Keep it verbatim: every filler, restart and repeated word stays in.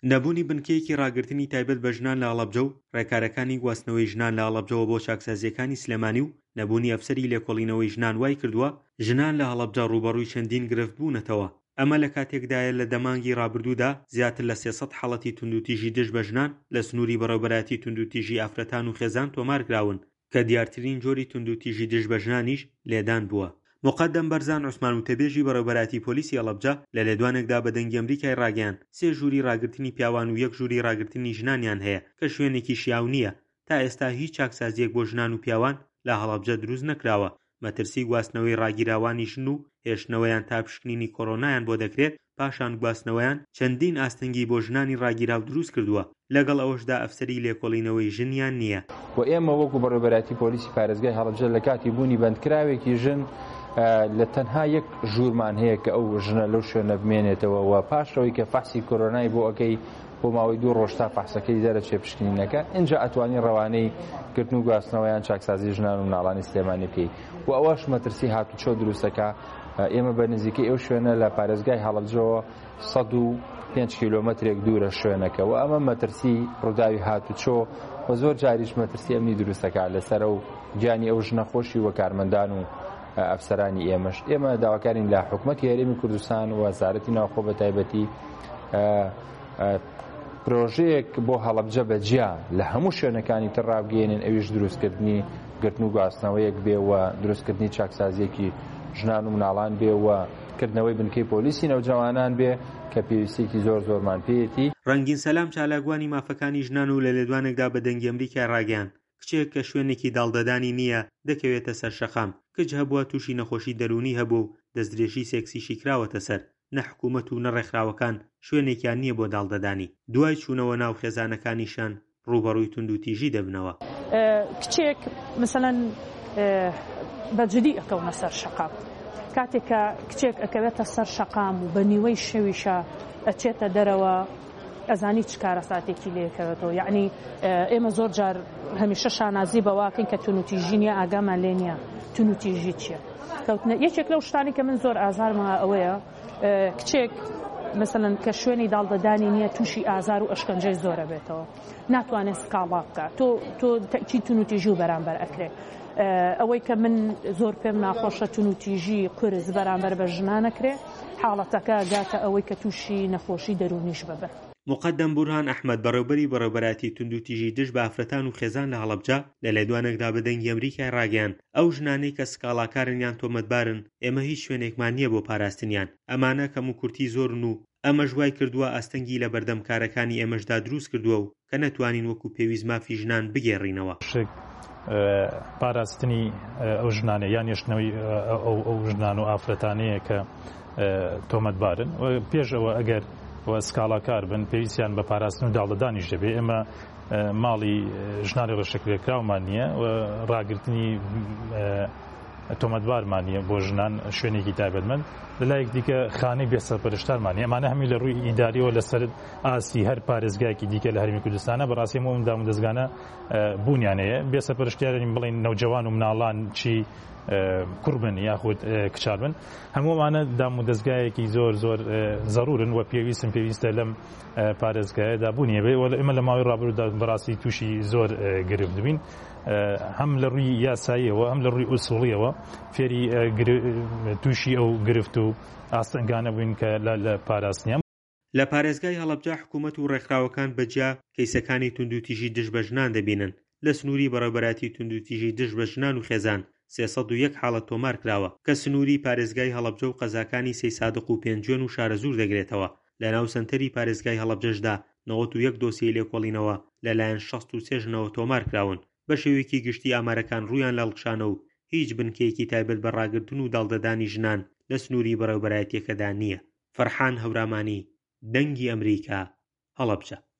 نەبوونی بنکەیەکی ڕاگرتنی تایبەت بە ژنان لە هەڵەبجە و ڕێکارەکانی گواستنەوەی ژنان لە هەڵەبجەوە بۆ چاکسازییەکانی سلێمانی و نەبوونی ئەفسەری لێکۆڵینەوەی ژنان وایکردووە ژنان لە هەڵەبجە ڕووبەڕووی چەندین گرفت بوونەتەوە. ئەمە لە کاتێکدایە لە دە مانگی ڕابردوودا زیاتر لە سێ سەد حاڵەتی توندوتیژی دژ بە ژنان لە سنووری بەڕێوبەرایەتی توندوتیژی ئافرەتان و خێزان تۆمارکراون کە دیارترین جۆری توندوتیژی دژ بە ژنانیش لێدان بووە. موقەدەم بەرزان عوسمان وتەبێژی بەڕێوبەرایەتی پۆلیسی هەڵەبجە لە لێدوانێکدا بە دەنگی ئەمریکای ڕاگەیاند سێ ژووری ڕاگرتنی پیاوان و یەک ژووری ڕاگرتنی ژنانیان هەیە کە شوێنێکی شیاو نییە تا ئێستا هیچ چاکسازییەک بۆ ژنان و پیاوان لە هەڵەبجە دروست نەکراوە مەترسی گواستنەوەی ڕاگیراوانی ژن و هێشتنەوەیان تا پشکنینی کۆرۆنایان بۆ دەکرێت پاشان گواستنەوەیان چەندین ئاستەنگی بۆ ژنانی ڕاگیراو دروست کردووە، لەگەڵ ئەوەشدا ئەفسەری لێکۆڵینەوەی ژنیان نییە. و ئێمە وەکو بەڕێوەبەرایەتی پۆلیسی پارێزگای هەڵەبجە لە کاتی بوونی بەندکراوێکی ژن لە تەنها یەک ژوورمان هەیە کە ئەو ژنە لەو شوێنە بمێنێتەوە و پاش ئەوەی کە فەحسی کۆرۆنای بۆ ئەکەی بۆ ماوەی دوو ڕۆژ تا فەحسەکەی دەرەچێ پشکنینەکە ئینجا ئەتوانی ڕەوانەی گرتن و گواستنەوە یان چاکسازی ژنان و مناڵانی سلێمانی بکەی و ئەوەش مەترسی هاتوچۆ دروستەکە ئێمە بە نزیکەی ئەو شوێنە لە پارێزگای هەڵەبجەوە سەد و پێنج کیلۆمەترێک دوورە شوێنەکە و ئەمە مەترسی ڕووداوی هاتوچۆ و زۆر جاریش مەترسی ئەمنی دروستەکە لەسەر ئەو گیانی ئەو ژنە خۆشی و کارمەندان و ئەفسەرانی ئێمەش. ئێمە داواکارین لە حکومەتی هەرێمی کوردستان و وەزارەتی ناوخۆ بە تایبەتی پرۆژەیەک بۆ هەڵەبجە بە جیا لە هەموو شوێنەکانی تر ڕابگەیەنن، ئەویش دروستکردنی گرتن و گواستنەوەیەک بێ و دروستکردنی چاکسازیەکی ژنان و مناڵان بێ و کردنەوەی بنکەی پۆلیسی نەوجەوانان بێ کە پێویستیەکی زۆر زۆرمان پێیەتی. ڕەنگین سەلام چالاکوانی مافەکانی ژنان و لە لێدوانێکدا بە دەنگی ئەمریکای ڕاگەیاند، کچێک کە شوێنێکی داڵدەدانی نییە دەکەوێتە سەر شەقام، کچ هەبووە تووشی نەخۆشی دەروونی هەبووە و دەستدرێژی سێکسیشی کراوەتە سەر، نە حکوومەت و نە ڕێکخراوەکان شوێنێکیان نییە بۆ داڵدەدانی، دوای چوونەوە ناو خێزانەکانیشیان ڕووبەڕووی توندوتیژی دەبنەوە. کچێک مەسەلەن بە جدی ئەکەونە سەر شەقام، کاتێک کە کچێک ئەکەوێتە سەر شەقام و بە نیوەی شەویشە ئەچێتە دەرەوە ئەزانی چ کارەساتێکی لێکەوێتەوە. یعنی ئێمە زۆر جار هەمیشە شانازی بەواکەین کە تونوتیژی نییە، ئاگامان لێ نییە تونوتیژی چییە. کەوتنە یەکێک لەو شتانی کە من زۆر ئازارمە ئەوەیە کچێک مثلەن کە شوێنی داڵدەدانی نییە تووشی ئازار و ئەشکەنجەی زۆرە بێتەوە، ناتوانێت سکاڵا بکات، تۆ تۆ تەئکید تونوتیژی و بەرامبەر ئەکرێ. ئەوەی کە من زۆر پێم ناخۆشە تونوتیژی قورس بەرامبەر بە ژنانەکرێ، حاڵەتەکە گاتە ئەوەی کە تووشی نەخۆشی دەروونیش ببن. مقەدەم بورهان ئەحمەد بەڕێوبەری بەڕێوبەرایەتی توندوتیژی دژ بە ئافرەتان و خێزان لە هەڵەبجە لە لێدوانێکدا بە دەنگی ئەمریکای ڕاگەیاند ئەو ژنانەی کە سکاڵاکارن یان تۆمەتبارن ئێمە هیچ شوێنێکمان نییە بۆ پاراستنیان، ئەمانە کەموکورتی زۆرن و ئەمەش وای کردووە ئاستەنگی لە بەردەم کارەکانی ئێمەشدا دروست کردووە و کە نەتوانین وەکو پێویست مافی ژنان بگێڕینەوە. شک پاراستنی ئەو ژنانە یان هێشتنەوەی ئەو ژنان و ئافرەتانەیە کە تۆمەتبارن و پێش ئەوە ئەگەر و سکاڵاکار بن پێویستیان بە پاراستن و داڵدەدانیش دەبێت. ئێمە ماڵی ژنانی ڕێشەکرێکراومان نییە و ڕاگرتنی تۆمەتبارمان نییە بۆ ژنان شوێنێکی تایبەتمەند. لەلایەک دیکە خانەی بێسەرپەرشتارمان نییە. ئەمانە هەمووی لە ڕووی ئیداریەوە لەسەر ئاستی هەر پارێزگایەکی دیکە لە هەرێمی کوردستانە بەڕاستی هەموو ئەم دامودەزگانە بوونیان هەیە. بێسەرپەرشتیارین بڵێن نەوجەوان و مناڵان چی کوڕ بن یاخود کچار بن، هەموومانە دامودەزگایەکی زۆر زۆر زەرورن و پێویستن پێویستە لەم پارێزگایەدا بوونی هەبێ. وە ئێمە لە ماوەی ڕابردوودا بەڕاستی تووشی زۆر گرفت بین، هەم لە ڕووی یاساییەوە هەم لە ڕووی ئوسوڵیەوە فێری تووشی ئەو گرفت و ئاستەنگانە بووین کە لە پاراستنیان. لە پارێزگای هەڵەبجە حکوومەت و ڕێکخراوەکان بەجیا کەیسەکانی توندوتیژی دژ بە ژنان دەبینن. لە سنووری بەڕێوبەرایەتی توندوتیژی دژ بە ژنان و خێزان سێ سەد و یەک حاڵەت تۆمار کراوە کە سنووری پارێزگای هەڵەبجە و قەزاکانی سەیسادق و پێنجوێن و شارەزوور دەگرێتەوە. لەناو سەنتەری پارێزگای هەڵەبجەشدا نەوەت و یەک دۆسیەی لێکۆڵینەوە لەلایەن شەست و سێ ژنەوە تۆمار کراون. بە شێوەیەکی گشتی ئامارەکان ڕوویان لە هەڵکشانە و هیچ بنکەیەکی تایبەت بە ڕاگرتن و داڵدەدانی ژنان لە سنووری بەڕێوبەرایەتیەکەدا نییە. فەرحان هەورامانی، دەنگی ئەمریکا، هەڵەبجە.